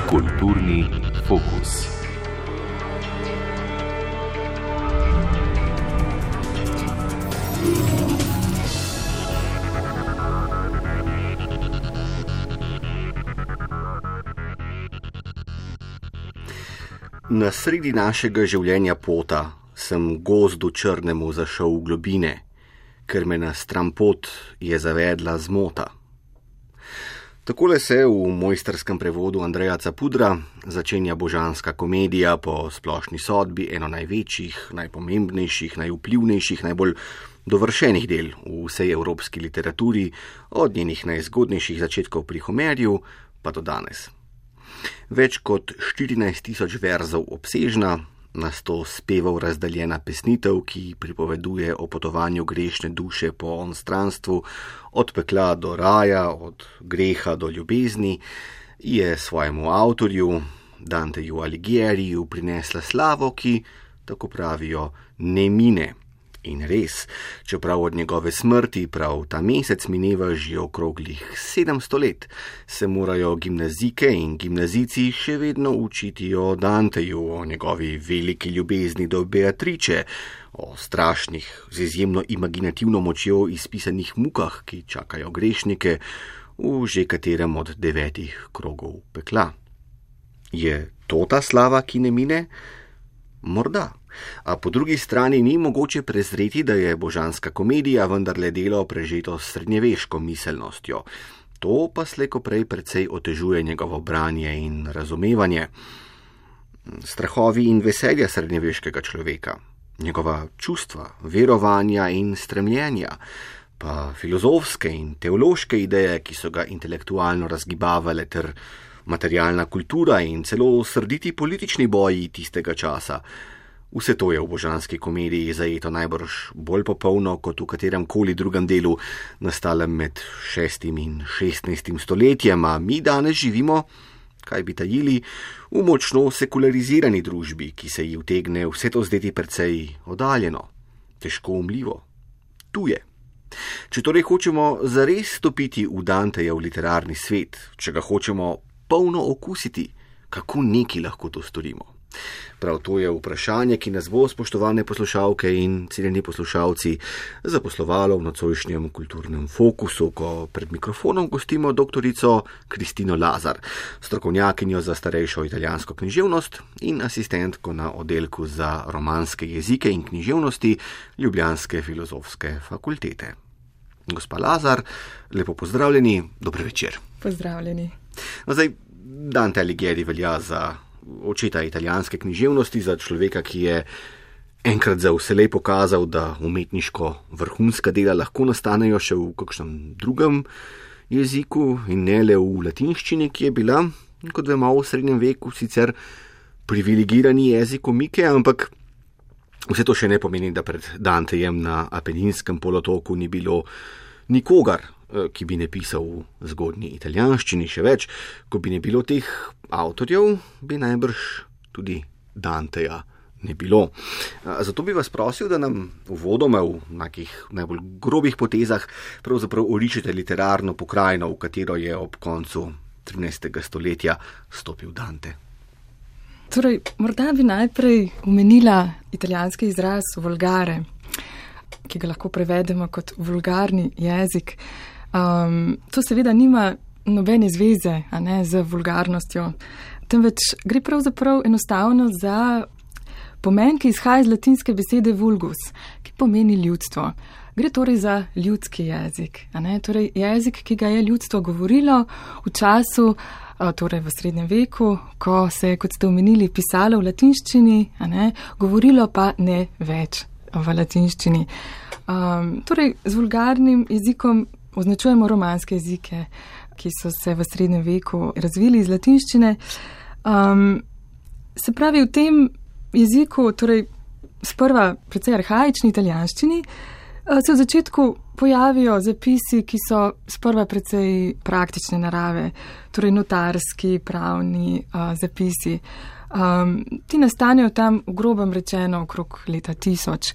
Kulturni fokus. Na sredi našega življenja pota sem gozdu črnemu zašel v globine, ker me na stran pot je zavedla zmota. Takole se v mojstrskem prevodu Andreja Capudra začenja božanska komedija po splošni sodbi eno največjih, najpomembnejših, najvplivnejših, najbolj dovršenih del v vsej evropski literaturi, od njenih najzgodnejših začetkov pri Homerju pa do danes. Več kot 14.000 verzov obsežna, na 100 spevov razdaljena pesnitev, ki pripoveduje o potovanju grešne duše po onstranstvu, od pekla do raja, od greha do ljubezni, je svojemu avtorju, Danteju Alighieriu, prinesla slavo, ki, tako pravijo, ne mine. In res, čeprav od njegove smrti prav ta mesec mineva že okroglih 700 let, se morajo gimnazijke in gimnazijci še vedno učiti o Danteju, o njegovi veliki ljubezni do Beatriče, o strašnih, z izjemno imaginativno močjo izpisanih mukah, ki čakajo grešnike v že katerem od 9 krogov pekla. Je to ta slava, ki ne mine? Morda. A po drugi strani ni mogoče prezreti, da je božanska komedija vendarle delo prežeto s srednjeveško miselnostjo. To pa slejko prej precej otežuje njegovo branje in razumevanje. Strahovi in veselja srednjeveškega človeka, njegova čustva, verovanja in stremljenja, pa filozofske in teološke ideje, ki so ga intelektualno razgibavale, ter materialna kultura in celo srditi politični boji tistega časa. Vse to je v božanski komediji zajeto najbrž bolj popolno kot v katerem koli drugem delu, nastalem med 6. in 16. stoletjem, a mi danes živimo, kaj bi tajili, v močno sekularizirani družbi, ki se ji utegne vse to zdeti precej oddaljeno, težko umljivo, tuje. Če torej hočemo zares stopiti v Dantejev literarni svet, če ga hočemo polno okusiti, kako neki lahko to storimo? Prav to je vprašanje, ki nas bo, spoštovane poslušalke in cenjeni poslušalci, zaposlovalo v nocojšnjem kulturnem fokusu, ko pred mikrofonom gostimo doktorico Kristino Lazar, strokovnjakinjo za starejšo italijansko književnost in asistentko na oddelku za romanske jezike in književnosti Ljubljanske filozofske fakultete. Gospa Lazar, lepo pozdravljeni, dober večer. Pozdravljeni. Zdaj, Dante Alighieri velja za očeta italijanske književnosti, za človeka, ki je enkrat za vselej pokazal, da umetniško vrhunska dela lahko nastanejo še v kakšnem drugem jeziku in ne le v latinščini, ki je bila, kot vemo, v srednjem veku sicer privilegirani jezik omike, ampak vse to še ne pomeni, da pred Dantejem na Apeninskem polotoku ni bilo nikogar, ki bi ne pisal v zgodnji italijanščini, še več, ko bi ne bilo teh avtorjev, bi najbrž tudi Danteja ne bilo. Zato bi vas prosil, da nam uvodoma v nekih najbolj grobih potezah pravzaprav orišete literarno pokrajino, v katero je ob koncu 13. stoletja stopil Dante. Torej, morda bi najprej omenila italijanski izraz volgare, ki ga lahko prevedemo kot vulgarni jezik. To seveda nima nobene zveze, z vulgarnostjo, temveč gre pravzaprav enostavno za pomen, ki izhaja iz latinske besede vulgus, ki pomeni ljudstvo. Gre torej za ljudski jezik, torej jezik, ki ga je ljudstvo govorilo v času, torej v srednjem veku, ko se je, kot ste omenili, pisalo v latinščini, govorilo pa ne več v latinščini. Torej, z vulgarnim jezikom označujemo romanske jezike, ki so se v srednjem veku razvili iz latinščine. Se pravi, v tem jeziku, torej sprva precej arhaični italijanščini, se v začetku pojavijo zapisi, ki so sprva precej praktične narave, torej notarski, pravni zapisi. Ti nastanejo tam v grobem rečeno okrog leta 1000.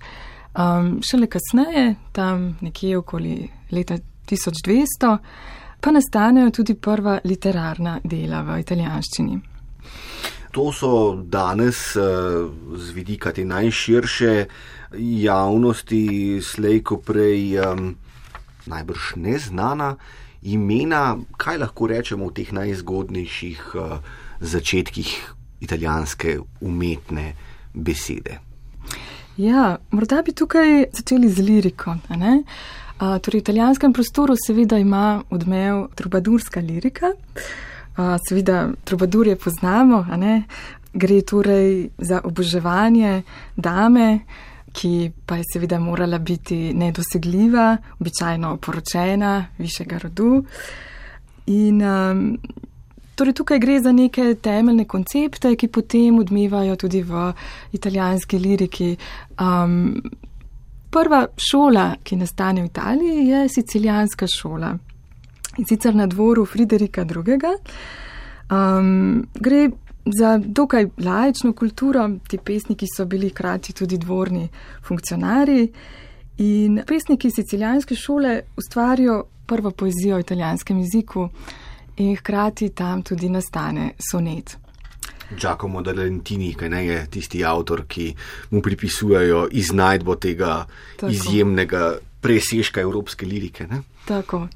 Šele kasneje, tam nekje okoli leta 1200, pa nastanejo tudi prva literarna dela v italijanščini. To so danes z vidika te najširše javnosti slejko prej najbrž neznana imena, kaj lahko rečemo v teh najzgodnejših začetkih italijanske umetne besede. Ja, morda bi tukaj začeli z liriko. Torej, v italijanskem prostoru seveda ima odmev trubadurska lirika. Seveda trubadurje poznamo, Gre torej za oboževanje dame, ki pa je seveda morala biti nedosegljiva, običajno poročena, višjega rodu. In torej tukaj gre za neke temeljne koncepte, ki potem odmevajo tudi v italijanski liriki. Prva šola, ki nastane v Italiji, je sicilijanska šola. In sicer na dvoru Friderika II. Gre za dokaj laično kulturo, ti pesniki so bili hkrati tudi dvorni funkcionarji in pesniki sicilijanske šole ustvarijo prvo poezijo v italijanskem jeziku in hkrati tam tudi nastane sonet. Giacomo da Lentini, kaj ne, je tisti avtor, ki mu pripisujejo iznajdbo tega izjemnega presežka evropske lirike. Ne? Tako.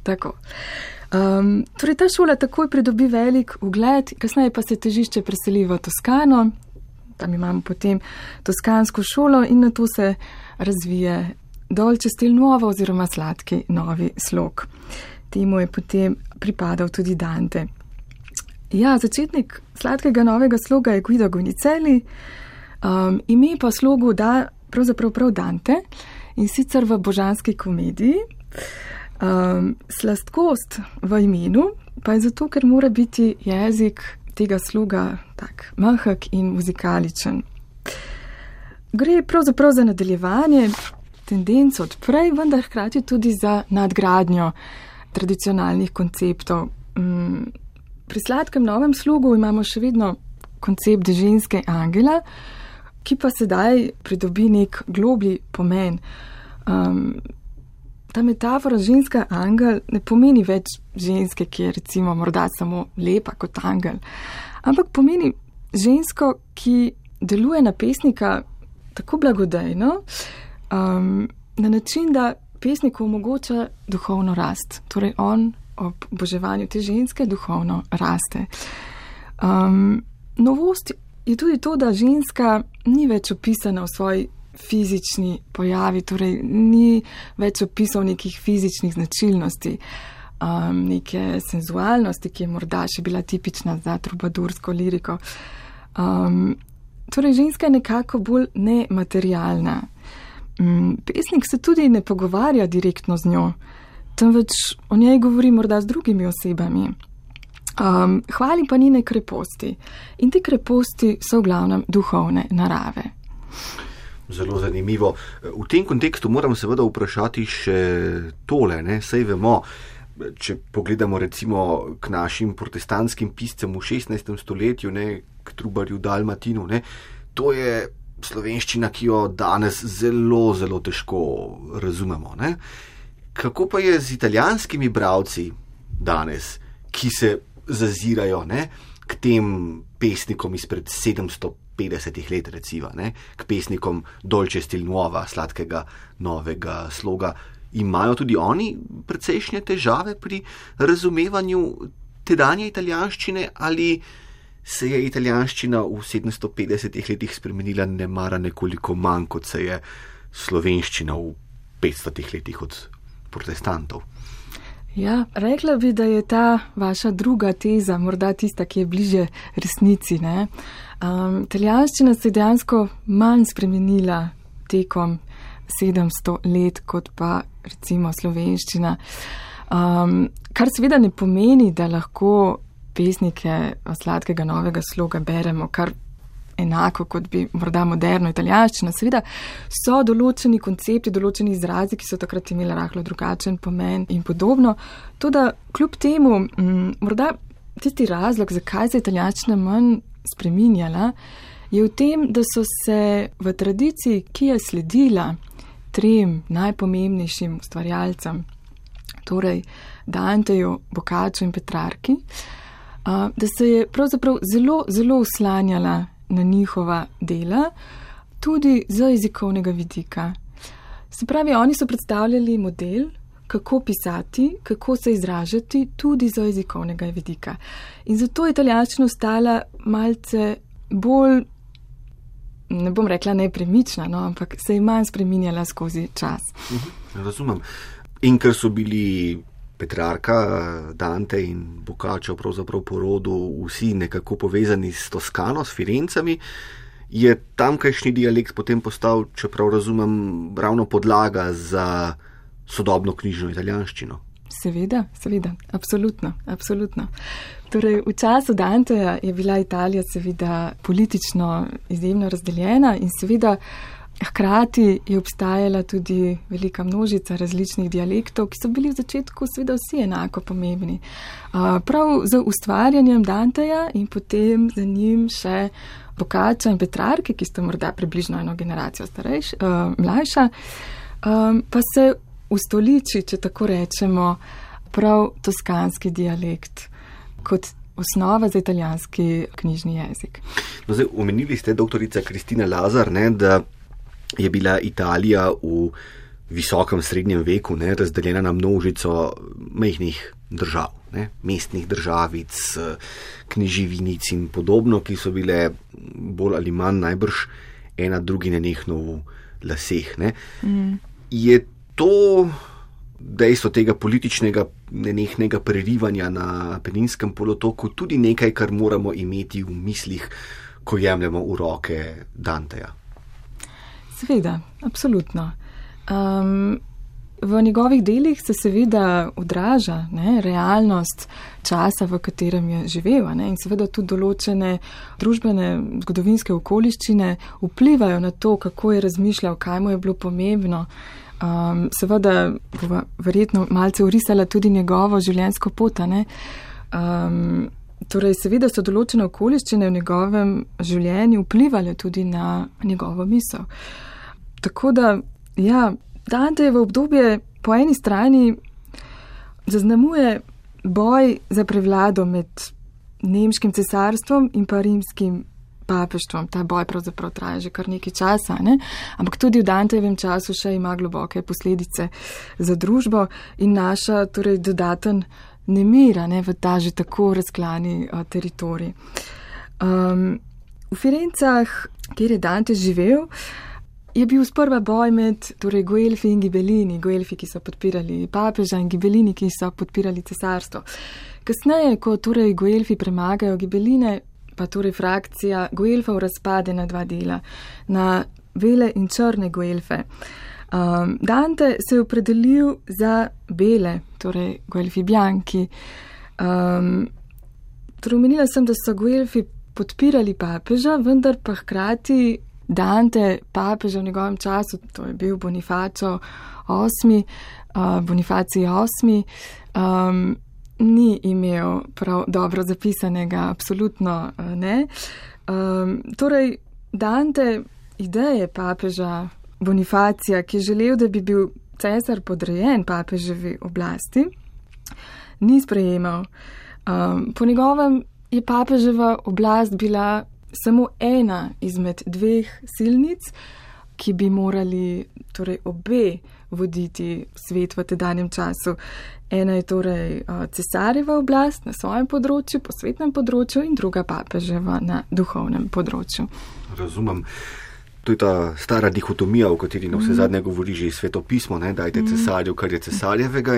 Torej ta šola takoj pridobi velik ugled, kasneje pa se težišče preseli v Toskano, tam imamo potem toskansko šolo in nato se razvije dolce stil nuovo oziroma sladki novi slog. Temu je potem pripadal tudi Dante. Ja, začetnik sladkega novega sloga je Guido Gonicelli, ime pa slogu da pravzaprav prav Dante in sicer v Božanski komediji. Slastkost v imenu pa je zato, ker mora biti jezik tega sloga tak mehek in muzikaličen. Gre pravzaprav za nadaljevanje tendenc od prej, vendar hkrati tudi za nadgradnjo tradicionalnih konceptov. Pri sladkem novem slogu imamo še vedno koncept ženske angela, ki pa sedaj pridobi nek globlji pomen. Ta metafora ženska angel ne pomeni več ženske, ki je recimo morda samo lepa kot angel, ampak pomeni žensko, ki deluje na pesnika tako blagodejno, na način, da pesniku omogoča duhovno rast. Torej on ob oboževanju te ženske duhovno raste. Novost je tudi to, da ženska ni več opisana v svoji fizični pojavi, torej ni več opisal nekih fizičnih značilnosti, neke senzualnosti, ki je morda še bila tipična za trubadursko liriko. Torej ženska je nekako bolj nematerialna. Pesnik se tudi ne pogovarja direktno z njo, temveč o njej govori morda z drugimi osebami. Hvali pa njene kreposti. In te kreposti so v glavnem duhovne narave. Zelo zanimivo. V tem kontekstu moram seveda vprašati še tole, saj vemo, če pogledamo recimo k našim protestantskim piscem v 16. stoletju, k Trubarju Dalmatinu, to je slovenščina, ki jo danes zelo, zelo težko razumemo. Kako pa je z italijanskimi bralci danes, ki se zazirajo k tem pesnikom izpred 750 let, recimo, k pesnikom dolce stil nuova, sladkega novega sloga. Imajo tudi oni precejšnje težave pri razumevanju tedanje italijanščine ali se je italijanščina v 750 letih spremenila nemara nekoliko manj, kot se je slovenščina v 500 letih od protestantov? Ja, rekla bi, da je ta vaša druga teza morda tista, ki je bliže resnici. Italijanščina se je dejansko manj spremenila tekom 700 let, kot pa recimo slovenščina. Kar seveda ne pomeni, da lahko pesnike sladkega novega sloga beremo kar enako, kot bi morda moderno italijanščina. Seveda so določeni koncepti, določeni izrazi, ki so takrat imeli rahlo drugačen pomen in podobno. Toda kljub temu, morda tisti razlog, zakaj se italijanščina manj spreminjala, je v tem, da so se v tradiciji, ki je sledila trem najpomembnejšim ustvarjalcem, torej Danteju, Boccaccio in Petrarki, da se je pravzaprav zelo, zelo uslanjala na njihova dela, tudi z jezikovnega vidika. Se pravi, oni so predstavljali model, kako pisati, kako se izražati, tudi z jezikovnega vidika. In zato je italijanščina ostala malce bolj, ne bom rekla nepremična, no, ampak se je manj spreminjala skozi čas. Razumem. In ker so bili Petrarka, Dante in Boccaccio pravzaprav po rodu vsi nekako povezani s Toskano, s Firencami, je tamkajšnji dialekt potem postal, čeprav razumem, ravno podlaga za sodobno knjižno italijanščino. Seveda, absolutno. Torej, v času Danteja je bila Italija seveda politično izjemno razdeljena in seveda hkrati je obstajala tudi velika množica različnih dialektov, ki so bili v začetku seveda vsi enako pomembni. Prav z ustvarjanjem Danteja in potem za njim še Boccaccia in Petrarke, ki sta morda približno eno generacijo mlajša, pa se ustoliči, če tako rečemo, prav toskanski dialekt kot osnova za italijanski knjižni jezik. No, zdaj, omenili ste, doktorica Kristina Lazar, da je bila Italija v visokem srednjem veku razdeljena na množico majhnih držav, mestnih državic, kneživinic in podobno, ki so bile bolj ali manj najbrž ena drugi nenehno v laseh. Je to dejstvo tega političnega nenehnega prerivanja na Apeninskem polotoku tudi nekaj, kar moramo imeti v mislih, ko jemljemo v roke Danteja? Seveda, absolutno. V njegovih delih se seveda odraža realnost časa, v katerem je živel, in seveda tudi določene družbene zgodovinske okoliščine vplivajo na to, kako je razmišljal, kaj mu je bilo pomembno. Seveda bova verjetno malce orisala tudi njegovo življenjsko pot. Torej, seveda so določene okoliščine v njegovem življenju vplivali tudi na njegovo misel. Tako da, ja, Dantejevo obdobje po eni strani zaznamuje boj za prevlado med nemškim cesarstvom in pa rimskim papeštvom. Ta boj pravzaprav traja že kar nekaj časa, ampak tudi v Dantejevem času še ima globoke posledice za družbo in naša torej dodaten nemir v ta že tako razklani teritorij. V Firencah, kjer je Dante živel, je bil sprva boj med Guelfi in Ghibellini, Guelfi, ki so podpirali papeža, in Ghibellini, ki so podpirali cesarstvo. Kasneje, ko Guelfi premagajo Ghibelline, pa frakcija Guelfov razpade na dva dela, na bele in črne Guelfe. Dante se je opredelil za bele, Guelfi bianchi. Omenila sem, da so Guelfi podpirali papeža, vendar pa hkrati Dante, papeža v njegovem času, to je bil Bonifacij VIII, ni imel prav dobro zapisanega, absolutno ne. Torej, Dante ideje papeža Bonifacija, ki je želel, da bi bil cesar podrejen papeževi oblasti, ni sprejemal. Po njegovem je papeževa oblast bila samo ena izmed dveh silnic, ki bi morali obe voditi svet v tedanjem času. Ena je cesarjeva oblast na svojem področju, posvetnem področju, in druga papeževa na duhovnem področju. Razumem. To je ta stara dihotomija, o kateri na vse zadnje govori že svetopismo, dajte cesarju, kar je cesarjevega.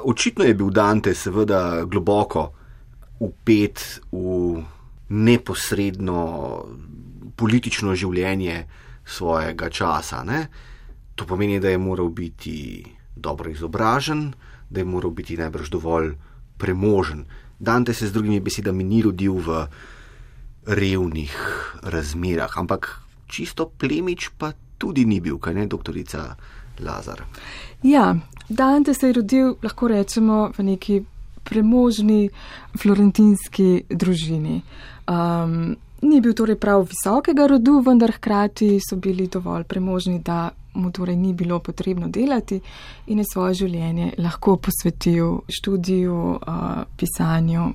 Očitno je bil Dante seveda globoko vpet v neposredno politično življenje svojega časa. To pomeni, da je moral biti dobro izobražen, da je moral biti najbrž dovolj premožen. Dante se z drugimi besedami ni rodil v revnih razmerah, ampak čisto plemič pa tudi ni bil, kaj ne, doktorica Lazar? Ja, Dante se je rodil, lahko rečemo, v neki premožni florentinski družini. Ni bil prav visokega rodu, vendar hkrati so bili dovolj premožni, da mu torej ni bilo potrebno delati in je svoje življenje lahko posvetil študiju, pisanju.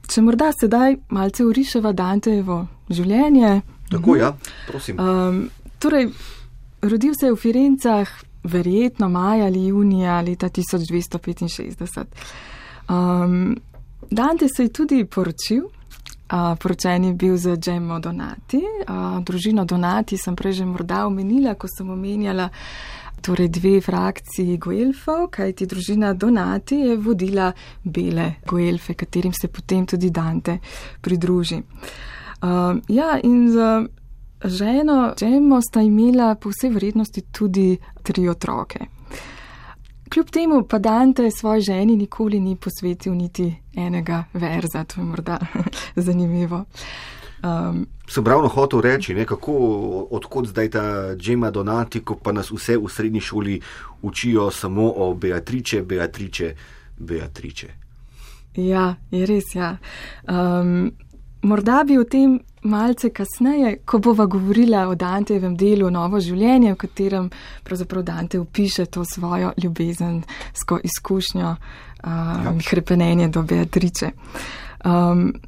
Če morda sedaj malce oriševa Dantejevo življenje. Tako, ja, prosim. Torej, rodil se je v Firencah verjetno maja ali junija leta 1265. Dante se je tudi poročil. Poročen je bil z Gemmo Donati. Družino Donati sem prej že morda omenila, ko sem omenjala torej 2 frakciji Guelfov, kajti družina Donati je vodila bele Guelfe, katerim se potem tudi Dante pridruži. In z ženo Gemmo sta imela po vsej verjetnosti tudi 3 otroke. Kljub temu pa Dante svoji ženi nikoli ni posvetil niti enega verza, to je morda zanimivo. Sem ravno hotel reči, odkot zdaj ta Gemma Donati, ko pa nas vse v srednji šoli učijo samo o Beatrice. Ja, je res, ja. Morda bi o tem malce kasneje, ko bova govorila o Dantejevem delu Novo življenje, v katerem pravzaprav Dante opiše to svojo ljubezensko izkušnjo, hrepenenje do Beatrice.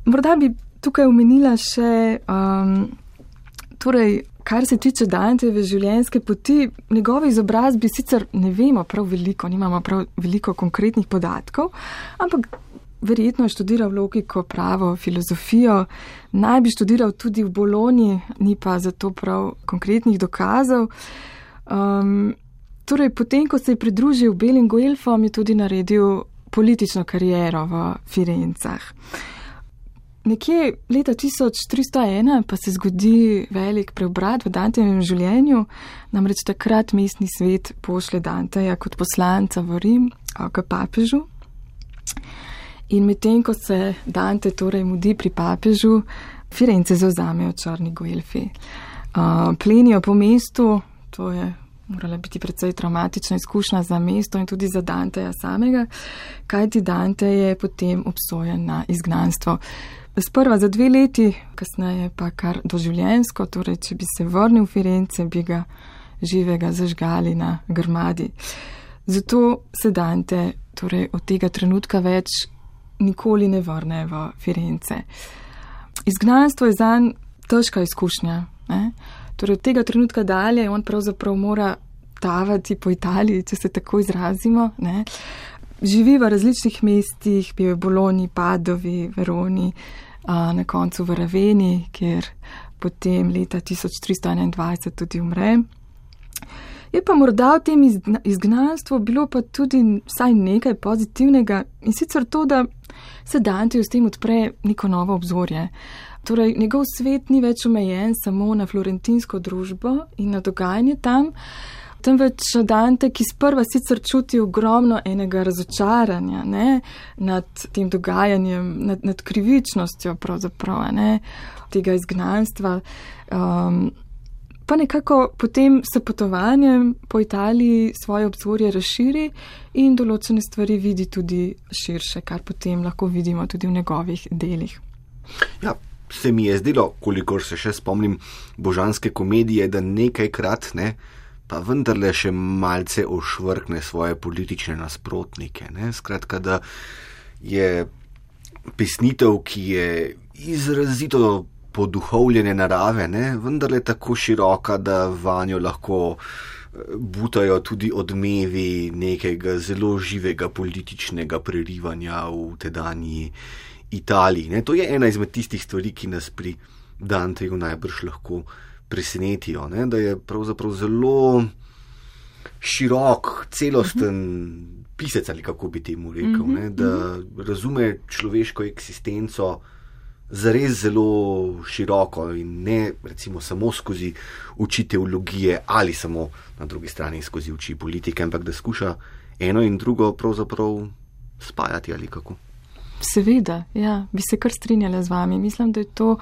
Morda bi tukaj omenila še, torej, kar se tiče Dantejeve življenjske poti, njegove izobrazbi sicer ne vemo prav veliko, nimamo prav veliko konkretnih podatkov, ampak verjetno je študiral logiko, pravo, filozofijo, naj bi študiral tudi v Bologni, ni pa zato prav konkretnih dokazov. Torej, potem, ko se je pridružil belim Guelfom, je tudi naredil politično kariero v Firencah. Nekje leta 1301 pa se zgodi velik preobrat v Dantejevem življenju, namreč takrat mestni svet pošlje Danteja kot poslanca v Rim k papežu. In medtem, ko se Dante torej mudi pri papežu, Firence zavzamejo črni Guelfi. Plenijo po mestu, to je morala biti precej traumatična izkušnja za mesto in tudi za Danteja samega, kajti Dante je potem obsojen na izgnanstvo. Sprva za 2 leti, kasneje pa kar doživljenjsko, torej če bi se vrnil v Firence, bi ga živega zažgali na grmadi. Zato se Dante torej od tega trenutka več nikoli ne vrne v Firence. Izgnanstvo je zanj težka izkušnja. Torej od tega trenutka dalje on pravzaprav mora tavati po Italiji, če se tako izrazimo. Živi v različnih mestih, bil je v Bologni, Padovi, Veroni, na koncu v Raveni, kjer potem leta 1321 tudi umre. Je pa morda v tem izgnanstvu bilo pa tudi vsaj nekaj pozitivnega in sicer to, da se Danteju s tem odpre neko novo obzorje. Torej, njegov svet ni več omejen samo na florentinsko družbo in na dogajanje tam, temveč Dante, ki sprva sicer čuti ogromno enega razočaranja nad tem dogajanjem, nad krivičnostjo pravzaprav tega izgnanstva, pa nekako potem s potovanjem po Italiji svoje obzorje razširi in določene stvari vidi tudi širše, kar potem lahko vidimo tudi v njegovih delih. Ja, se mi je zdelo, kolikor se še spomnim božanske komedije, da nekajkrat, pa vendarle še malce ošvrkne svoje politične nasprotnike. Skratka, da je pesnitev, ki je izrazito poduhovljene narave, vendarle tako široka, da vanjo lahko butajo tudi odmevi nekega zelo živega političnega prerivanja v tedanji Italiji. To je ena izmed tistih stvari, ki nas pri Danteju najbrž lahko presenetijo, da je pravzaprav zelo širok, celosten pisec, ali kako bi temu rekel, da razume človeško eksistenco zares zelo široko in ne recimo samo skozi oči teologije ali samo na drugi strani skozi oči politike, ampak da skuša eno in drugo pravzaprav spajati ali kako. Seveda, ja, bi se kar strinjala z vami. Mislim, da je to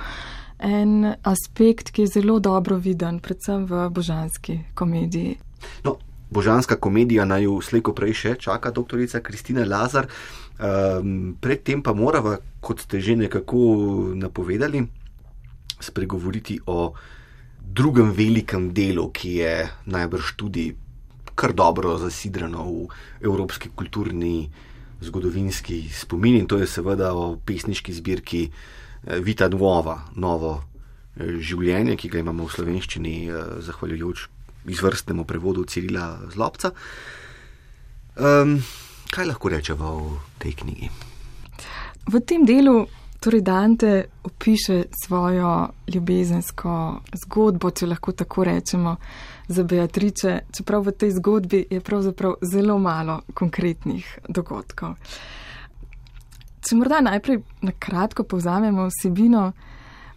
en aspekt, ki je zelo dobro viden, predvsem v božanski komediji. No, božanska komedija naj jo slej ko prej še čaka doktorica Kristina Lazar. Predtem pa morava, kot ste že nekako napovedali, spregovoriti o drugem velikem delu, ki je najbrž tudi kar dobro zasidrano v evropski kulturni zgodovinski spomin, in to je seveda o pesniški zbirki Vita Nuova, novo življenje, ki ga imamo v slovenščini zahvaljujoč izvrstnemu prevodu Cirila Zlobca. Kaj lahko rečeva o tej knjigi? V tem delu torej Dante opiše svojo ljubezensko zgodbo, če lahko tako rečemo, za Beatrice, čeprav v tej zgodbi je pravzaprav zelo malo konkretnih dogodkov. Če morda najprej na kratko povzamemo vsebino,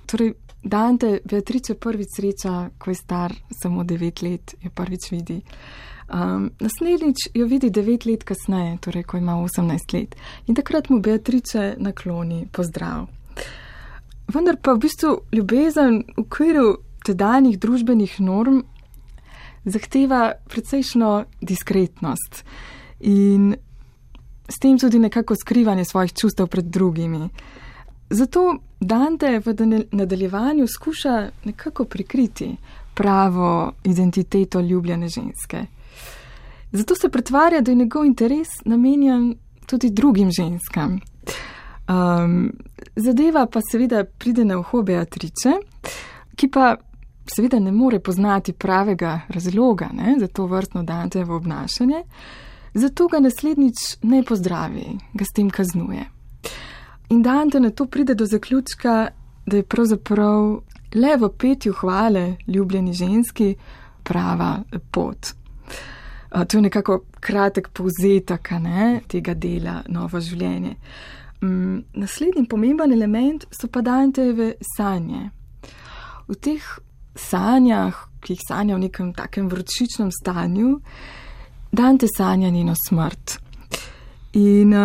torej Dante Beatrice prvič sreča, ko je star samo 9 let, jo prvič vidi. Naslednjič jo vidi 9 let kasneje, torej ko ima 18 let. In takrat mu Beatrice nakloni pozdrav. Vendar pa v bistvu ljubezen v okviru tedanjih družbenih norm zahteva precejšno diskretnost in s tem tudi nekako skrivanje svojih čustev pred drugimi. Zato Dante v nadaljevanju skuša nekako prikriti pravo identiteto ljubljene ženske. Zato se pretvarja, da je njegov interes namenjen tudi drugim ženskam. Zadeva pa seveda pride na uho Beatrice, ki pa seveda ne more poznati pravega razloga, za to vrstno Dantejevo obnašanje, zato ga naslednjič ne pozdravi, ga s tem kaznuje. In Dante na to pride do zaključka, da je pravzaprav le v petju hvale ljubljeni ženski prava pot. To je nekako kratek povzetek tega dela Novo življenje. Naslednji pomemben element so pa Dantejeve sanje. V teh sanjah, ki jih sanja v nekem takem vročičnem stanju, Dante sanja njeno smrt. In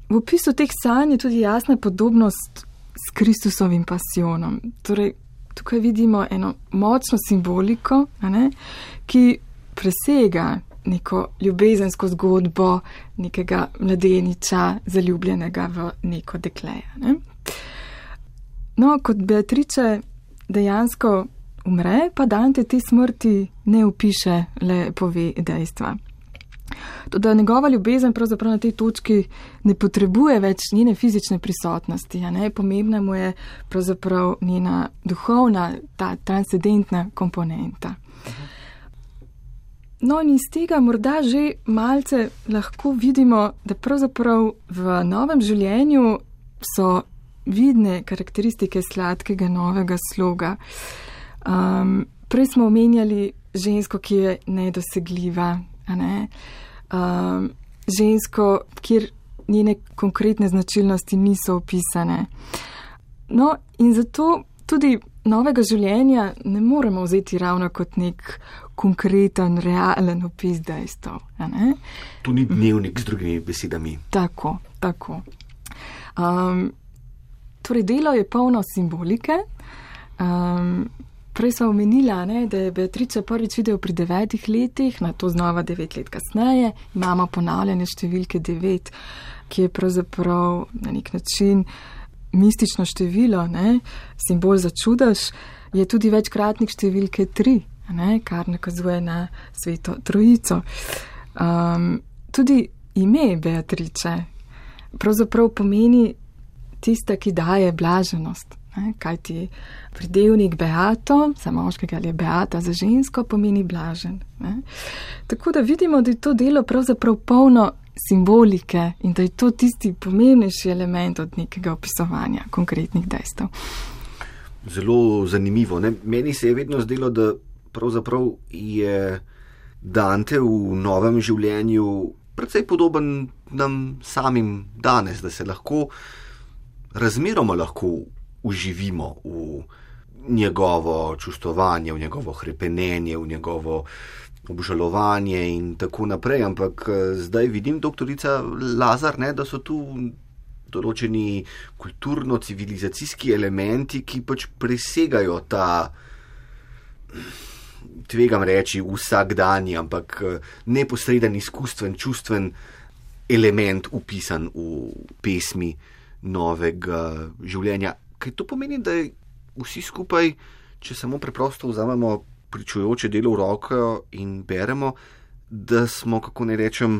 v opisu teh sanj je tudi jasna podobnost s Kristusovim pasijonom. Torej, tukaj vidimo eno močno simboliko, ki presega neko ljubezensko zgodbo nekega mladeniča, zaljubljenega v neko dekleje. No, kot Beatrice dejansko umre, pa Dante te smrti ne opiše, le pove dejstva. Toda njegova ljubezen pravzaprav na tej točki ne potrebuje več njene fizične prisotnosti, pomembna mu je pravzaprav njena duhovna, ta transcendentna komponenta. No, in iz tega morda že malce lahko vidimo, da pravzaprav v novem življenju so vidne karakteristike sladkega novega sloga. Prej smo omenjali žensko, ki je nedosegljiva, žensko, kjer njene konkretne značilnosti niso opisane. No, in zato tudi novega življenja ne moremo vzeti ravno kot nek konkreten, realen opis dejstev. To ni dnevnik z drugimi besedami. Tako. Torej, delo je polno simbolike. Prej sem omenila, da je Beatrice prvič videl pri 9 letih, na to znova 9 let kasneje. Imamo ponavljanje številke 9, ki je pravzaprav na nek način mistično število, simbol za čudež, je tudi večkratnik številke 3, kar nakazuje na Sveto Trojico. Tudi ime Beatrice pravzaprav pomeni tista, ki daje blaženost. Kajti pridevnik beato, za moškega ali beata za žensko, pomeni blažen. Tako da vidimo, da je to delo pravzaprav polno simbolike in da je to tisti pomembnejši element od nekega opisovanja konkretnih dejstev. Zelo zanimivo. Meni se je vedno zdelo, da pravzaprav je Dante v novem življenju precej podoben nam samim danes, da se razmeroma lahko uživimo v njegovo čustvovanje, v njegovo hrepenenje, v njegovo obžalovanje in tako naprej. Ampak zdaj vidim, doktorica Lazar, da so tu določeni kulturno-civilizacijski elementi, ki pač presegajo ta, tvegam reči, vsakdanji, ampak neposreden, izkustven, čustven element upisan v pesmi novega življenja. Kaj to pomeni, da vsi skupaj če samo preprosto vzamemo pričujoče delo v roko in beremo, da smo, kako ne rečem,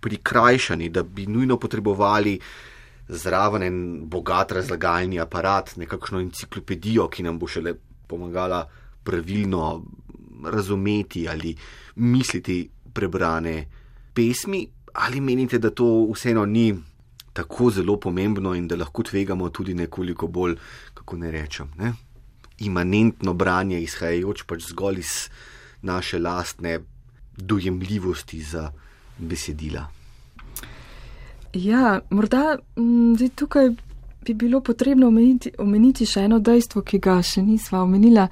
prikrajšani, da bi nujno potrebovali zraven en bogat razlagalni aparat, nekakšno enciklopedijo, ki nam bo šele pomagala pravilno razumeti ali misliti prebrane pesmi, ali menite, da to vseeno ni tako zelo pomembno in da lahko tvegamo tudi nekoliko bolj, kako ne rečem, imanentno branje, izhajajoč pač zgolj iz naše lastne dojemljivosti za besedila. Ja, morda tukaj bi bilo potrebno omeniti še eno dejstvo, ki ga še nisva omenila.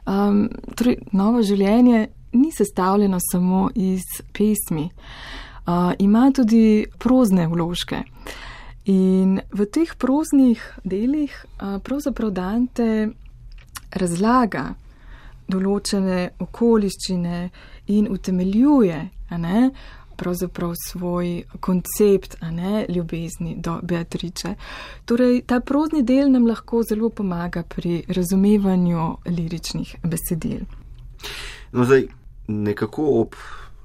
Torej, Novo življenje ni sestavljeno samo iz pesmi. Ima tudi prozne vložke. In v teh proznih delih pravzaprav Dante razlaga določene okoliščine in utemeljuje, pravzaprav svoj koncept, ljubezni do Beatrice. Torej, ta prozni del nam lahko zelo pomaga pri razumevanju liričnih besedil. No, zdaj, nekako ob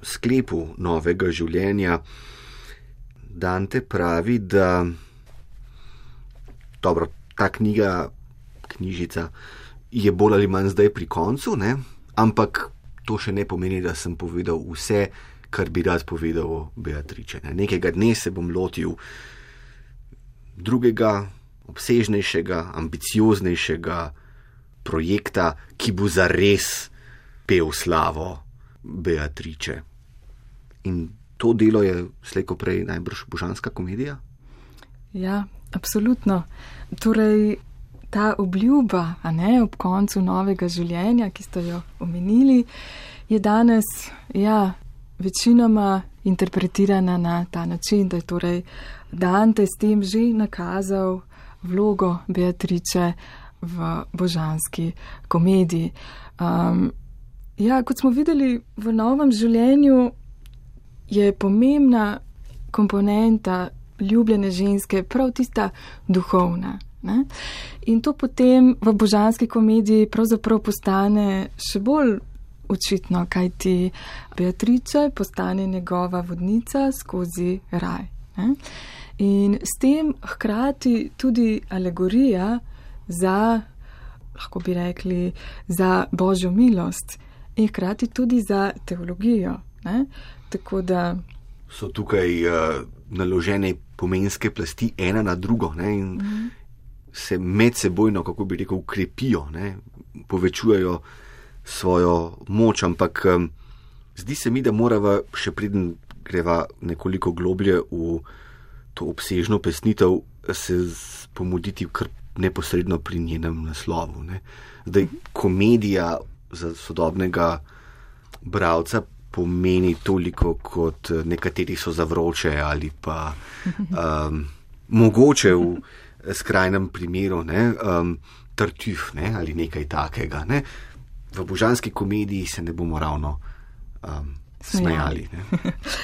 sklepu Novega življenja Dante pravi, da dobro, ta knjižica je bolj ali manj zdaj pri koncu, ampak to še ne pomeni, da sem povedal vse, kar bi rad povedal o Beatrice. Nekega dne se bom lotil drugega, obsežnejšega, ambicioznejšega projekta, ki bo zares pel slavo Beatrice. In to delo je slej ko prej najbrž božanska komedija? Ja, absolutno. Torej, ta obljuba, ob koncu novega življenja, ki ste jo omenili, je danes, večinoma interpretirana na ta način, da je torej Dante s tem že nakazal vlogo Beatrice v božanski komediji. Kot smo videli, v novem življenju je pomembna komponenta ljubljene ženske prav tista duhovna. In to potem v božanski komediji pravzaprav postane še bolj očitno, kajti Beatrice postane njegova vodnica skozi raj. In s tem hkrati tudi alegorija za, lahko bi rekli, za božjo milost in hkrati tudi za teologijo. Tako da so tukaj naložene pomenske plasti ena na drugo, in se medsebojno, kako bi rekel, ukrepijo, povečujejo svojo moč, ampak zdi se mi, da morava še preden greva nekoliko globlje v to obsežno pesnitev, se pomuditi kar neposredno pri njenem naslovu. Zdaj, komedija za sodobnega bralca pomeni toliko, kot nekateri so za vroče ali pa mogoče v skrajnem primeru tartuf ali nekaj takega. V božanski komediji se ne bomo ravno smejali.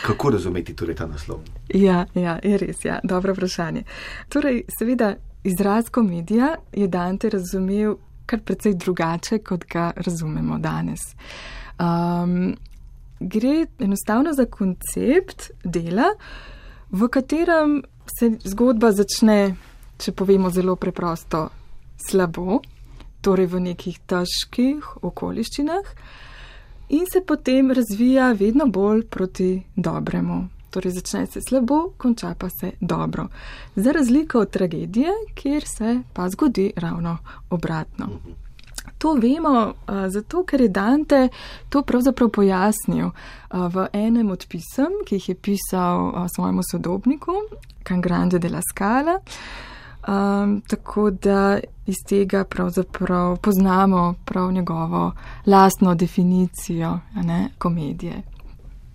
Kako razumeti torej ta naslov? Ja, je res, dobro vprašanje. Torej, seveda, izraz komedija je Dante razumel kar precej drugače, kot ga razumemo danes. Gre enostavno za koncept dela, v katerem se zgodba začne, če povemo zelo preprosto, slabo, torej v nekih težkih okoliščinah, in se potem razvija vedno bolj proti dobremu. Torej začne se slabo, konča pa se dobro. Za razliko od tragedije, kjer se pa zgodi ravno obratno. To vemo zato, ker je Dante to pravzaprav pojasnil v enem od pisem, ki jih je pisal svojemu sodobniku, Can Grande della Scala. Tako da iz tega pravzaprav poznamo prav njegovo lastno definicijo komedije.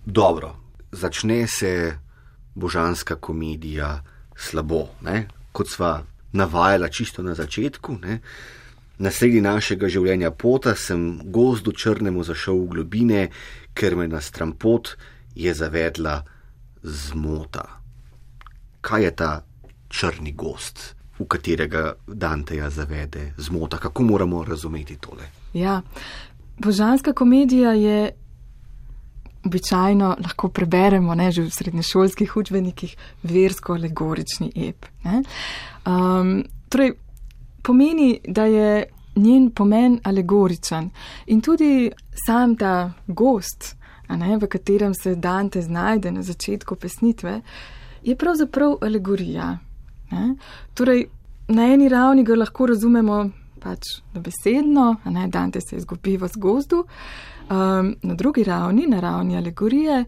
Dobro, začne se božanska komedija slabo, kot sva navajala čisto na začetku. Na sredi našega življenja pota sem gozdu črnemu zašel v globine, ker me na strampot je zavedla zmota. Kaj je ta črni gozd, v katerega Danteja zavede zmota? Kako moramo razumeti tole? Ja, božanska komedija je običajno, lahko preberemo, ne, že v srednješolskih učbenikih, versko-alegorični ep. Torej, pomeni, da je njen pomen alegoričen in tudi sam ta gozd, v katerem se Dante znajde na začetku pesnitve, je pravzaprav alegorija. Torej, na eni ravni ga lahko razumemo pač dobesedno, Dante se izgubi v gozdu, na drugi ravni, na ravni alegorije,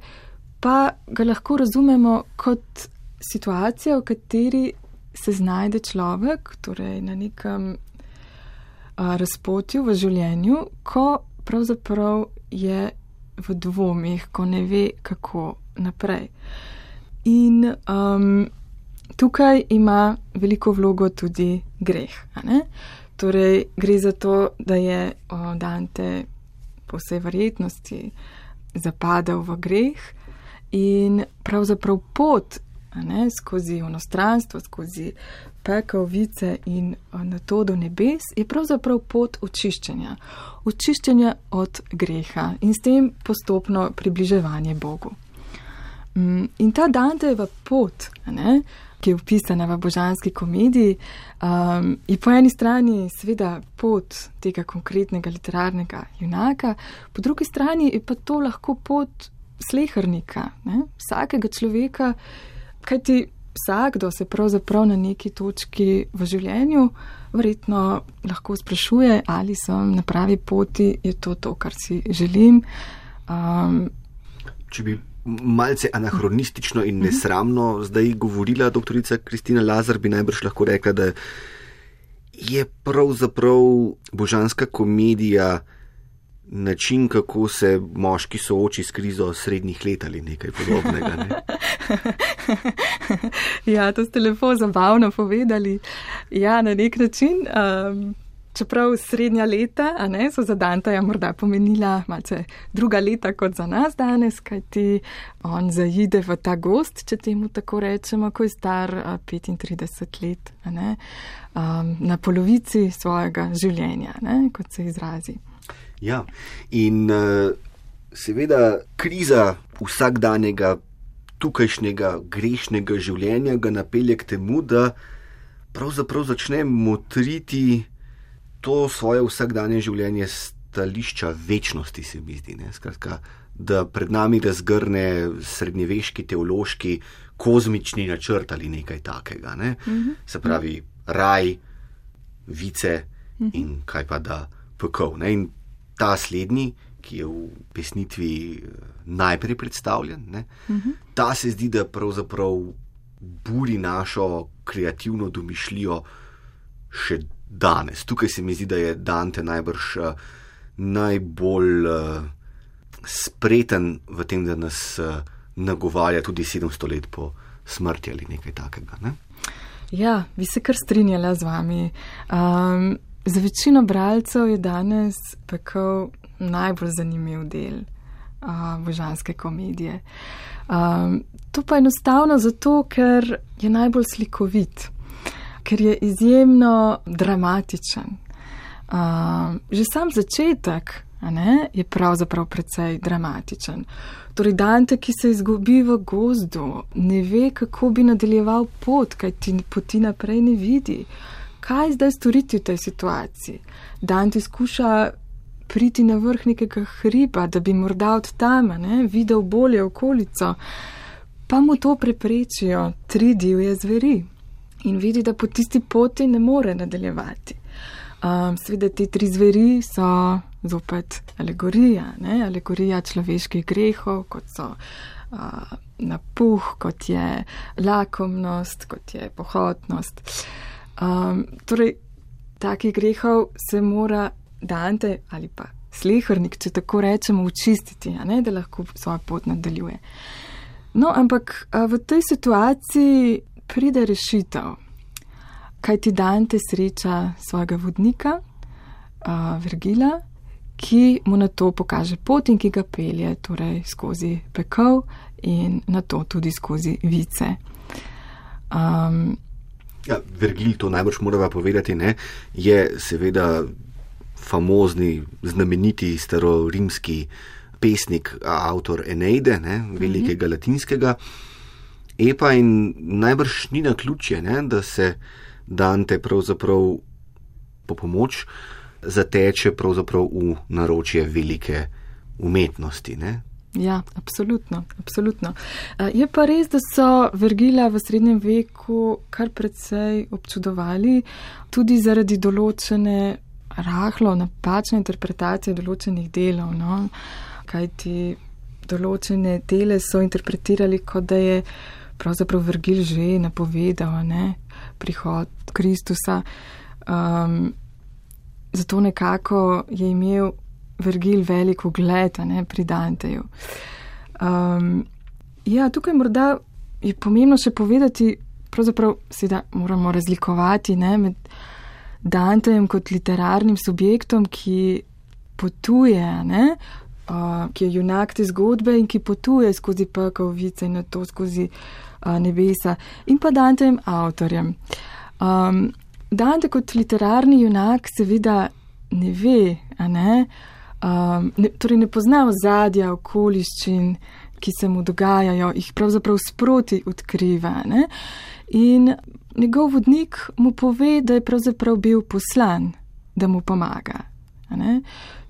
pa ga lahko razumemo kot situacija, v kateri se znajde človek, torej na nekem razpotju v življenju, ko pravzaprav je v dvomih, ko ne ve, kako naprej. In tukaj ima veliko vlogo tudi greh. Torej, gre za to, da je Dante po vsej verjetnosti zapadel v greh in pravzaprav pot skozi onostranstvo, skozi pekel, vice in na to do nebes je pravzaprav pot očiščenja. Očiščenja od greha in s tem postopno približevanje Bogu. In ta Dantejeva pot, ki je opisana v božanski komediji, je po eni strani seveda pot tega konkretnega literarnega junaka, po drugi strani je pa to lahko pot slehernika, vsakega človeka, kajti vsakdo se pravzaprav na neki točki v življenju verjetno lahko sprašuje, ali sem na pravi poti, je to, kar si želim. Če bi malce anahronistično in nesramno zdaj govorila doktorica Kristina Lazar, bi najbrž lahko rekla, da je pravzaprav božanska komedija način, kako se moški sooči s krizo srednjih let ali nekaj podobnega. Ne? Ja, to ste lepo zabavno povedali. Ja, na nek način, čeprav srednja leta, so za Danteja morda pomenila malce druga leta kot za nas danes, kajti on zaide v ta gozd, če temu tako rečemo, ko je star 35 let, na polovici svojega življenja, kot se izrazi. Ja, in seveda kriza vsakdanjega, tukajšnjega, grešnega življenja ga napelje k temu, da pravzaprav začne motriti to svoje vsakdanje življenje stališča večnosti, se mi zdi. Skratka, da pred nami razgrne srednjeveški teološki kozmični načrt ali nekaj takega. Se pravi, raj, vice in kaj pa da pekel. In ta slednji, ki je v pesnitvi najprej predstavljen, ta se zdi, da pravzaprav buri našo kreativno domišljijo še danes. Tukaj se mi zdi, da je Dante najbrž najbolj spreten v tem, da nas nagovarja tudi 700 let po smrti ali nekaj takega. Ne? Ja, bi se kar strinjala z vami. Za večino bralcev je danes pekel najbolj zanimiv del božanske komedije. To pa enostavno zato, ker je najbolj slikovit, ker je izjemno dramatičen. Že sam začetek je pravzaprav precej dramatičen. Torej Dante, ki se izgubi v gozdu, ne ve, kako bi nadaljeval pot, kaj ti poti naprej ne vidi. Kaj zdaj storiti v tej situaciji? Dante skuša priti na vrh nekega hriba, da bi morda od tam videl bolje okolico, pa mu to preprečijo 3 divje zveri in vidi, da po tisti poti ne more nadaljevati. Seveda te 3 zveri so zopet alegorija, alegorija človeških grehov, kot so napuh, kot je lakomnost, kot je pohotnost. Torej, takih grehov se mora Dante ali pa slehernik, če tako rečemo, očistiti, da lahko svojo pot nadaljuje. No, ampak v tej situaciji pride rešitev, kajti Dante sreča svojega vodnika, Vergila, ki mu na to pokaže pot in ki ga pelje torej skozi pekel in na to tudi skozi vice. Ja, Vergil, to najbrž morava povedati, je seveda famozni, znameniti starorimski pesnik, avtor Eneide, velikega latinskega epa, in najbrž ni naključje, da se Dante pravzaprav po pomoč zateče pravzaprav v naročje velike umetnosti, ne? Ja, absolutno. Je pa res, da so Vergila v srednjem veku kar precej občudovali, tudi zaradi določene rahlo napačne interpretacije določenih delov, no? Kajti določene dele so interpretirali, kot da je pravzaprav Vergil že napovedal, prihod Kristusa. Zato nekako je imel Vergil velik ugled, pri Danteju. Tukaj morda je pomembno še povedati, pravzaprav seveda moramo razlikovati, med Dantejem kot literarnim subjektom, ki potuje, ki je junak te zgodbe in ki potuje skozi pekel, vice in na to skozi nebesa, in pa Dantejem avtorjem. Dante kot literarni junak seveda ne ve, torej ne pozna ozadja, okoliščin, ki se mu dogajajo, jih pravzaprav sproti odkriva, in njegov vodnik mu pove, da je pravzaprav bil poslan, da mu pomaga,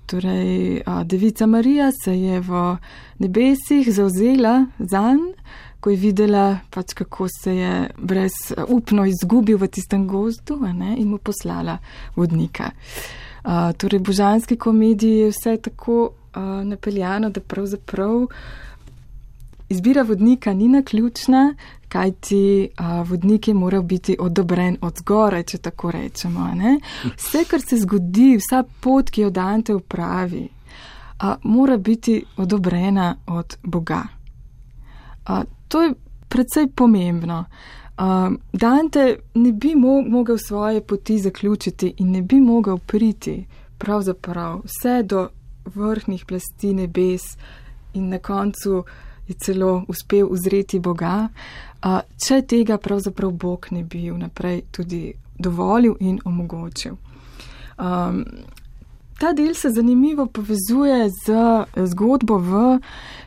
Torej, devica Marija se je v nebesih zavzela zanj, ko je videla, kako se je brezupno izgubil v tistem gozdu, in mu poslala vodnika. Torej, božanski komediji je vse tako napeljano, da pravzaprav izbira vodnika ni naključna, kajti vodnik je moral biti odobren od zgoraj, če tako rečemo. Vse, kar se zgodi, vsa pot, ki jo Dante upravi, mora biti odobrena od Boga. To je precej pomembno. Dante ne bi mogel svoje poti zaključiti in ne bi mogel priti pravzaprav vse do vrhnih plasti nebes in na koncu je celo uspel uzreti Boga, če tega pravzaprav Bog ne bi vnaprej tudi dovolil in omogočil. Ta del se zanimivo povezuje z zgodbo v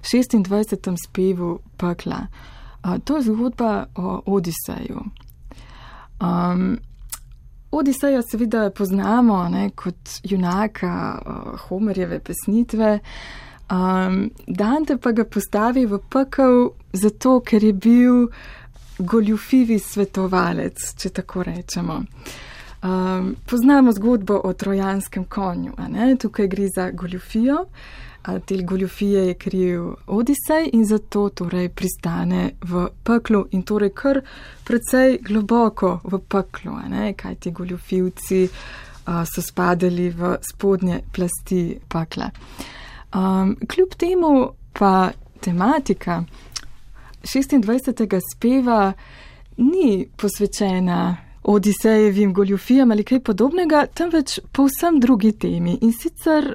26. spevu pekla. To je zgodba o Odiseju. Odiseja seveda poznamo kot junaka Homerjeve pesnitve, Dante pa ga postavi v pekel zato, ker je bil goljufivi svetovalec, če tako rečemo. Poznamo zgodbo o trojanskem konju, tukaj gre za goljufijo, te goljufije je kriv Odisej in zato torej pristane v peklu in torej kar precej globoko v peklu, kaj ti goljufivci so spadali v spodnje plasti pekla. Kljub temu pa tematika 26. speva ni posvečena Odisejevim goljufijam ali kaj podobnega, temveč povsem drugi temi in sicer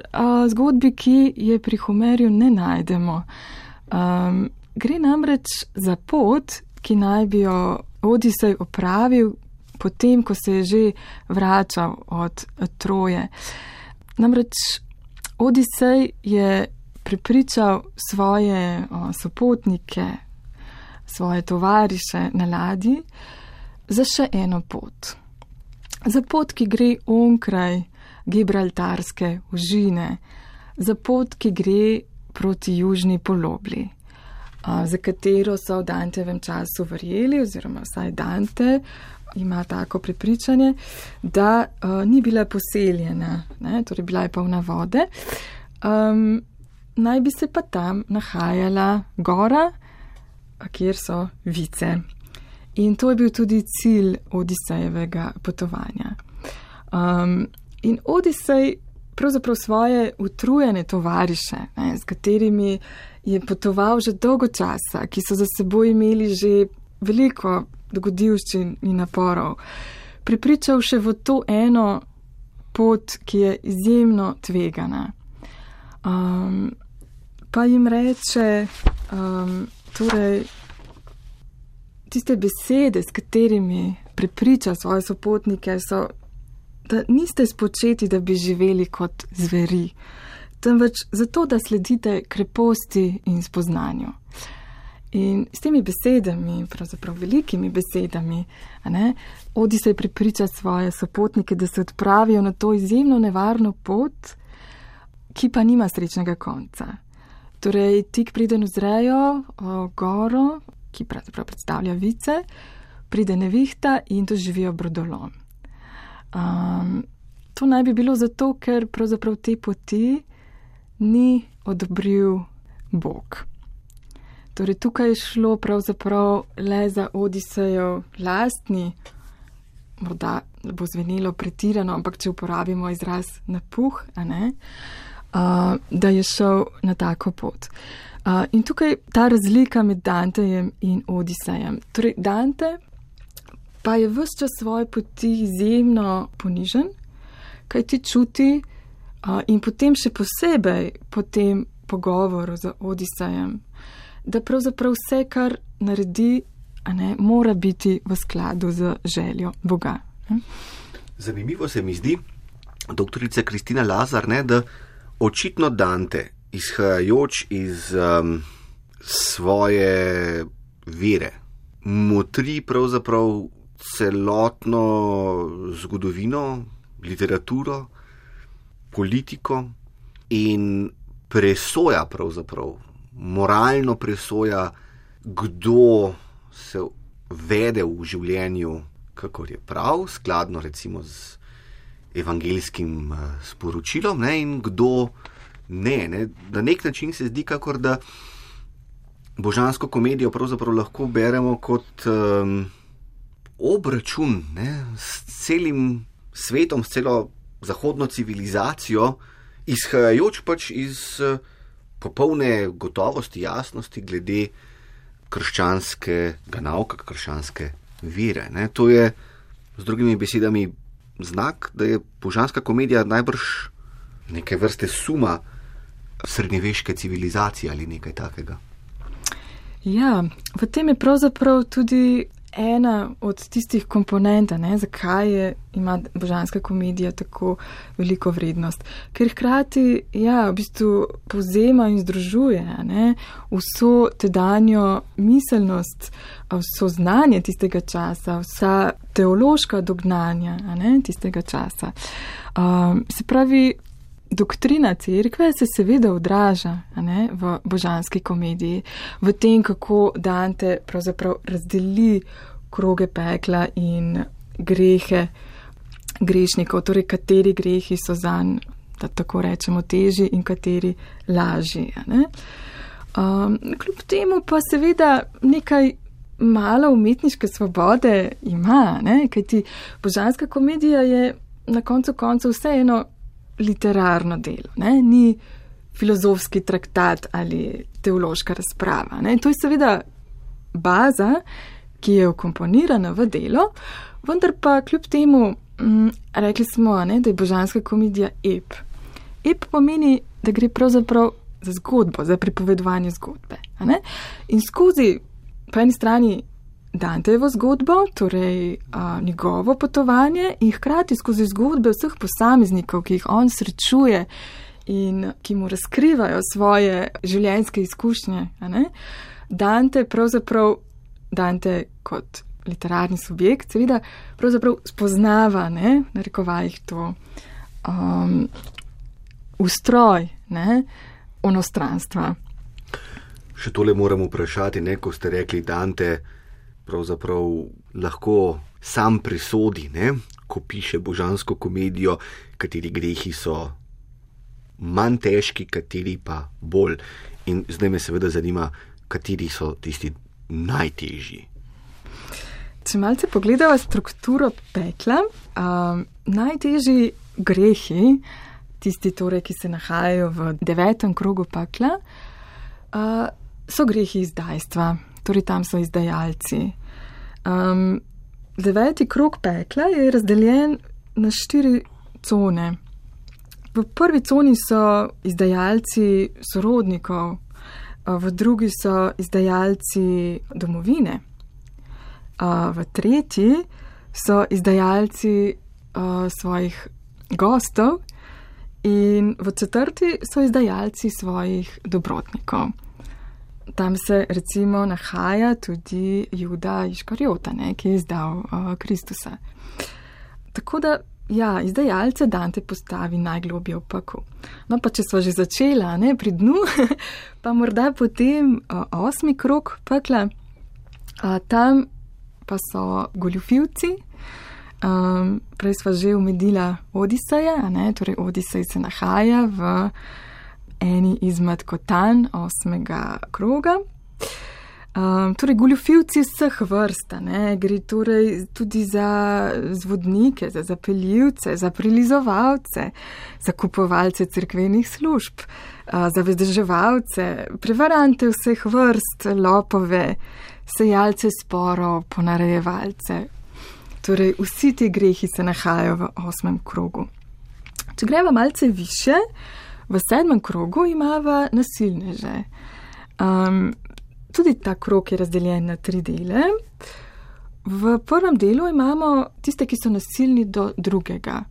zgodbi, ki je pri Homerju ne najdemo. Gre namreč za pot, ki naj bi jo Odisej opravil potem, ko se je že vračal od Troje. Namreč Odisej je prepričal svoje sopotnike, svoje tovariše na ladji za še eno pot. Za pot, ki gre onkraj Gibraltarske ožine, za pot, ki gre proti južni polobli, za katero so v Dantevem času verjeli, oziroma vsaj Dante ima tako prepričanje, da ni bila poseljena, torej bila je polna vode, naj bi se pa tam nahajala gora, kjer so vice. In to je bil tudi cilj Odisejevega potovanja. In Odisej pravzaprav svoje utrujene tovariše, s katerimi je potoval že dolgo časa, ki so za seboj imeli že veliko dogodivščin in naporov, prepričal še v to eno pot, ki je izjemno tvegana. Pa jim reče, torej, tiste besede, s katerimi prepriča svoje sopotnike, so da niste spočeti, da bi živeli kot zveri, temveč zato, da sledite kreposti in spoznanju. In s temi besedami, pravzaprav velikimi besedami, Odisej prepriča svoje sopotnike, da se odpravijo na to izjemno nevarno pot, ki pa nima srečnega konca. Torej, tik preden uzrejo goro, ki pravzaprav predstavlja vice, pride nevihta in doživijo brodolom. To naj bi bilo zato, ker pravzaprav te poti ni odobril Bog. Torej, tukaj je šlo pravzaprav le za Odisejev lastni, morda bo zvenelo pretirano, ampak če uporabimo izraz napuh, da je šel na tako pot. In tukaj ta razlika med Dantejem in Odisejem. Torej, Dante pa je ves čas svoje poti izjemno ponižen, kaj ti čuti in potem še posebej po tem pogovoru z Odisejem, da pravzaprav vse, kar naredi, mora biti v skladu z željo Boga. Zanimivo se mi zdi, doktorica Kristina Lazar, da očitno Dante, izhajajoč iz svoje vere, motri pravzaprav celotno zgodovino, literaturo, politiko in presoja pravzaprav, moralno presoja, kdo se vede v življenju, kakor je prav, skladno recimo z evangelijskim sporočilom, in kdo ne. Na nek način se zdi, kakor da božansko komedijo pravzaprav lahko beremo kot obračun s celim svetom, s celo zahodno civilizacijo, izhajajoč pač iz popolne gotovosti, jasnosti glede krščanskega nauka, krščanske vere. To je, z drugimi besedami, znak, da je božanska komedija najbrž neke vrste suma srednjeveške civilizacije ali nekaj takega. Ja, v tem je pravzaprav tudi ena od tistih komponent, zakaj ima božanska komedija tako veliko vrednost. Ker hkrati, v bistvu povzema in združuje vso tedanjo miselnost, vso znanje tistega časa, vsa teološka dognanja tistega časa. Se pravi, doktrina cerkve se seveda odraža v božanski komediji, v tem, kako Dante pravzaprav razdeli kroge pekla in grehe grešnikov, torej kateri grehi so zanj, da tako rečemo, težji in kateri lažji. Kljub temu pa seveda nekaj malo umetniške svobode ima, kajti božanska komedija je na koncu koncev vseeno literarno delo, ni filozofski traktat ali teološka razprava. To je seveda baza, ki je vkomponirana v delo, vendar pa kljub temu rekli smo, da je božanska komedija ep. Ep pomeni, da gre pravzaprav za zgodbo, za pripovedovanje zgodbe. In skozi po eni strani Dantejevo zgodbo, torej njegovo potovanje in hkrati skozi zgodbe vseh posameznikov, ki jih on srečuje in ki mu razkrivajo svoje življenjske izkušnje. Dante kot literarni subjekt seveda pravzaprav spoznava, narekovajih to ustroj onostranstva. Še tole moram vprašati, ko ste rekli, Dante pravzaprav lahko sam presodi, ko piše božansko komedijo, kateri grehi so manj težki, kateri pa bolj. In zdaj me seveda zanima, kateri so tisti najtežji. Če malce pogledava strukturo pekla, najtežji grehi, tisti torej, ki se nahajajo v 9. krogu pekla, so grehi izdajstva, torej tam so izdajalci. 9. krog pekla je razdeljen na 4 cone. V prvi coni so izdajalci sorodnikov, v drugi so izdajalci domovine, v tretji so izdajalci svojih gostov in v 4. so izdajalci svojih dobrotnikov. Tam se recimo nahaja tudi Juda Iškariota, ki je izdal Kristusa. Tako da, ja, izdajalce Dante postavi najglobje v pekel. No, pa če smo že začela, pri dnu, pa morda potem 8. krog pekla, tam pa so goljufivci. Prej sva že omenila Odiseja, torej Odisej se nahaja v eni izmed kotanj 8. kroga. Torej, goljufivci vseh vrst, gre torej tudi za zvodnike, za zapeljivce, za prilizovalce, za kupovalce cerkvenih služb, za vedeževalce, prevarante vseh vrst, lopove, sejalce sporov, ponarejevalce. Torej, vsi ti grehi se nahajajo v 8. krogu. Če greva malce više, v 7. krogu imava nasilneže. Tudi ta krog je razdeljen na 3 dele. V prvem delu imamo tiste, ki so nasilni do drugega,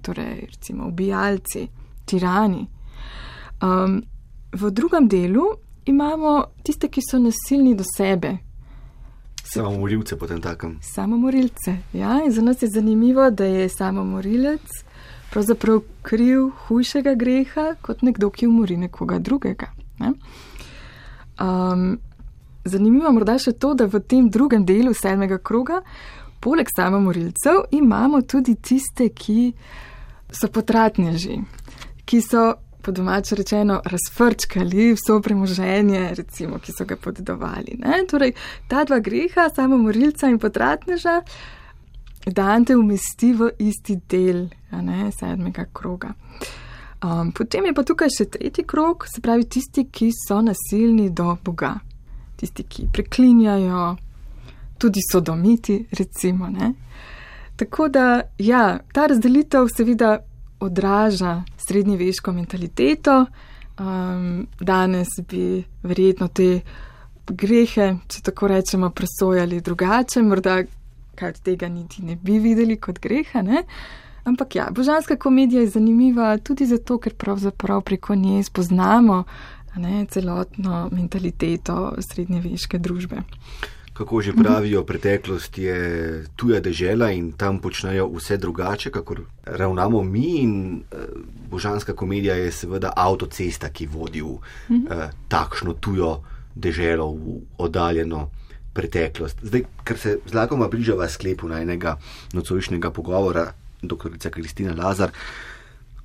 torej recimo ubijalci, tirani. V drugem delu imamo tiste, ki so nasilni do sebe. Samomorilce potem takem. Samomorilce, ja, in za nas je zanimivo, da je samomorilec pravzaprav kriv hujšega greha kot nekdo, ki umori nekoga drugega. Zanimivo morda še to, da v tem drugem delu 7. kroga, poleg samomorilcev, imamo tudi tiste, ki so potratneži, ki so, po domače rečeno, razfrčkali vso premoženje, recimo, ki so ga podedovali. Torej, ta 2 greha, samomorilca in potratneža, Dante umesti v isti del 7. kroga. Potem je pa tukaj še 3. krog, se pravi tisti, ki so nasilni do Boga. Tisti, ki preklinjajo, tudi sodomiti, recimo. Tako da, ja, ta razdelitev seveda odraža srednjeveško mentaliteto. Danes bi verjetno te grehe, če tako rečemo, presojali drugače, morda kaj od tega niti ne bi videli kot greha, Ampak ja, Božanska komedija je zanimiva tudi zato, ker pravzaprav preko nje spoznamo celotno mentaliteto srednjeveške družbe. Kako že pravijo, preteklost je tuja dežela in tam počnejo vse drugače, kakor ravnamo mi, in Božanska komedija je seveda avtocesta, ki vodi v takšno tujo deželo, v oddaljeno preteklost. Zdaj, ker se zlagoma bližava sklepu najnega nocojšnjega pogovora, doktorica Kristina Lazar,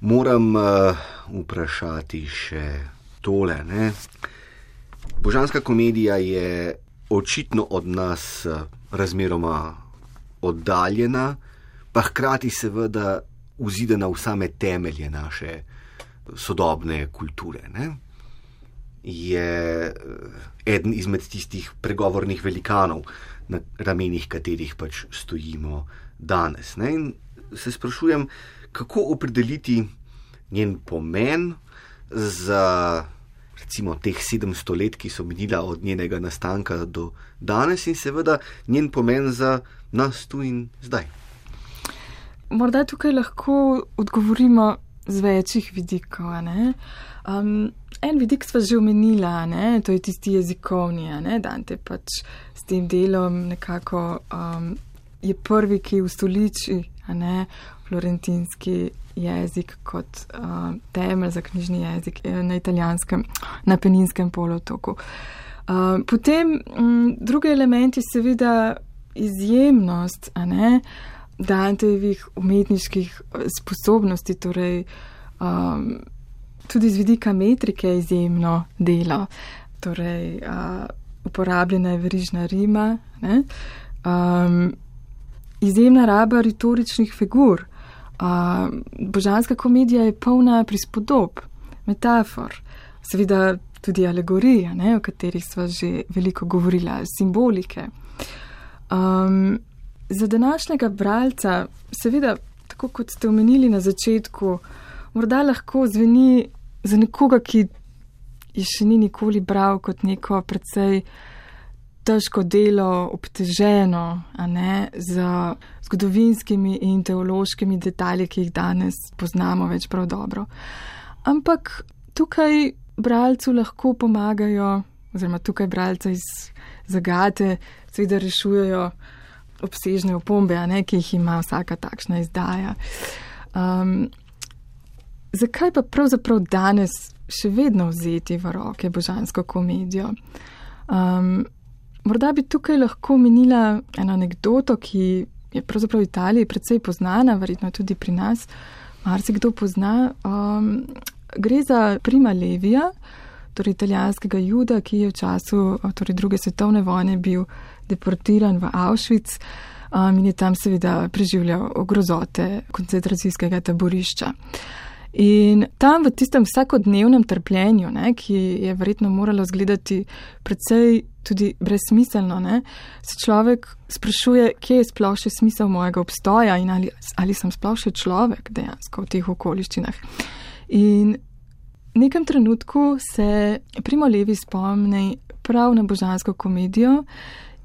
moram vprašati še tole. Božanska komedija je očitno od nas razmeroma oddaljena, pa hkrati seveda vzidena v same temelje naše sodobne kulture. Je eden izmed tistih pregovornih velikanov, na ramenih katerih pač stojimo danes. In se sprašujem, kako opredeliti njen pomen za recimo teh 700 let, ki so minila od njenega nastanka do danes, in seveda njen pomen za nas tu in zdaj. Morda tukaj lahko odgovorimo z večjih vidikov. En vidik sva že omenila, to je tisti jezikovni. Dante pač s tem delom nekako je prvi, ki ustoliči florentinski jezik kot temelj za knjižni jezik na italijanskem, na Apeninskem polotoku. Potem drugi element je seveda izjemnost Dantejevih umetniških sposobnosti, torej tudi z vidika metrike izjemno delo. Torej, uporabljena je verižna rima, izjemna raba retoričnih figur. Božanska komedija je polna prispodob, metafor, seveda tudi alegorij, o katerih sva že veliko govorila, simbolike. Za današnjega bralca, seveda, tako kot ste omenili na začetku, morda lahko zveni za nekoga, ki je še ni nikoli bral, kot neko precej težko delo, obteženo, z zgodovinskimi in teološkimi detalji, ki jih danes poznamo več prav dobro. Ampak tukaj bralcu lahko pomagajo, oziroma tukaj bralca iz zagate seveda rešujejo obsežne opombe, ki jih ima vsaka takšna izdaja. Zakaj pa pravzaprav danes še vedno vzeti v roke božansko komedijo? Morda bi tukaj lahko omenila eno anekdoto, ki je pravzaprav v Italiji precej poznana, verjetno tudi pri nas, marsikdo pozna. Gre za Prima Levija, torej italijanskega juda, ki je v času druge svetovne vojne bil deportiran v Auschwitz in je tam seveda preživljal grozote koncentracijskega taborišča. In tam v tistem vsakodnevnem trpljenju, ki je verjetno moralo izgledati precej tudi brezsmiselno, se človek sprašuje, kje je sploh še smisel mojega obstoja in ali sem sploh še človek dejansko v teh okoliščinah. In v nekem trenutku se Primo Levi spomni prav na božansko komedijo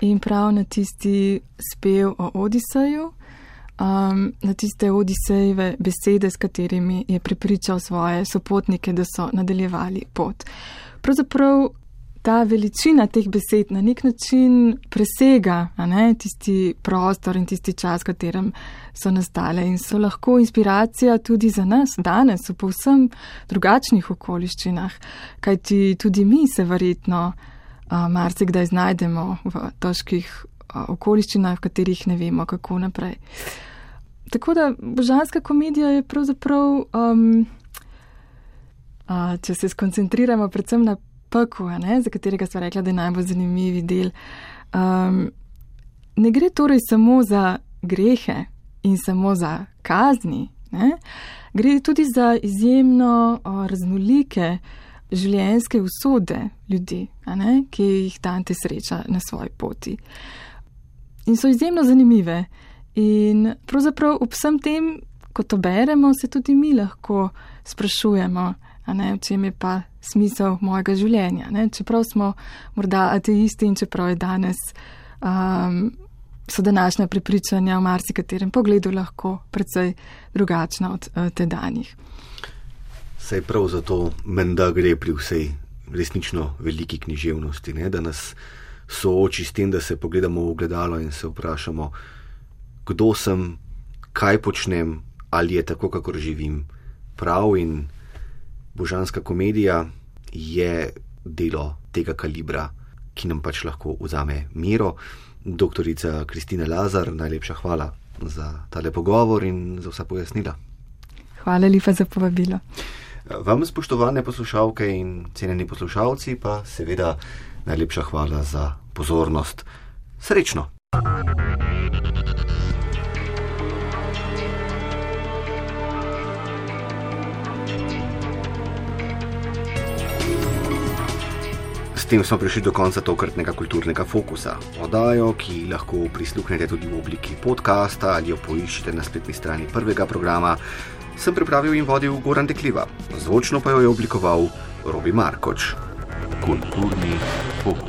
in prav na tisti spev o Odiseju, na tiste Odisejeve besede, s katerimi je prepričal svoje sopotnike, da so nadaljevali pot. Pravzaprav ta veličina teh besed na nek način presega tisti prostor in tisti čas, v katerem so nastale in so lahko inspiracija tudi za nas danes v povsem drugačnih okoliščinah, kajti tudi mi se verjetno marsikdaj znajdemo v težkih okoliščinah, v katerih ne vemo, kako naprej. Tako da božanska komedija je pravzaprav, če se skoncentriramo predvsem na peku, za katerega sva rekla, da je najbolj zanimivi del. Ne gre torej samo za grehe in samo za kazni, gre tudi za izjemno raznolike življenjske usode ljudi, ki jih Dante sreča na svoji poti. In so izjemno zanimive. In pravzaprav ob vsem tem, ko to beremo, se tudi mi lahko sprašujemo, v čem je pa smisel mojega življenja. Čeprav smo morda ateisti in čeprav je danes so današnja prepričanja v marsikaterem pogledu lahko precej drugačna od tedanjih. Saj prav zato menda gre pri vsej resnično veliki književnosti, da nas sooči s tem, da se pogledamo v ogledalo in se vprašamo, kdo sem, kaj počnem, ali je tako, kakor živim prav. In božanska komedija je delo tega kalibra, ki nam pač lahko vzame mero. Doktorica Kristina Lazar, najlepša hvala za tale pogovor in za vsa pojasnila. Hvala lepa za povabilo. Vam, spoštovane poslušalke in cenjeni poslušalci, pa seveda najlepša hvala za pozornost. Srečno! S tem smo prišli do konca tokratnega kulturnega fokusa. Oddajo, ki lahko prisluhnete tudi v obliki podcasta ali jo poiščete na spletni strani prvega programa, sem pripravil in vodil Goran Dekliva. Zvočno pa jo je oblikoval Robi Markoč. Kulturni fokus.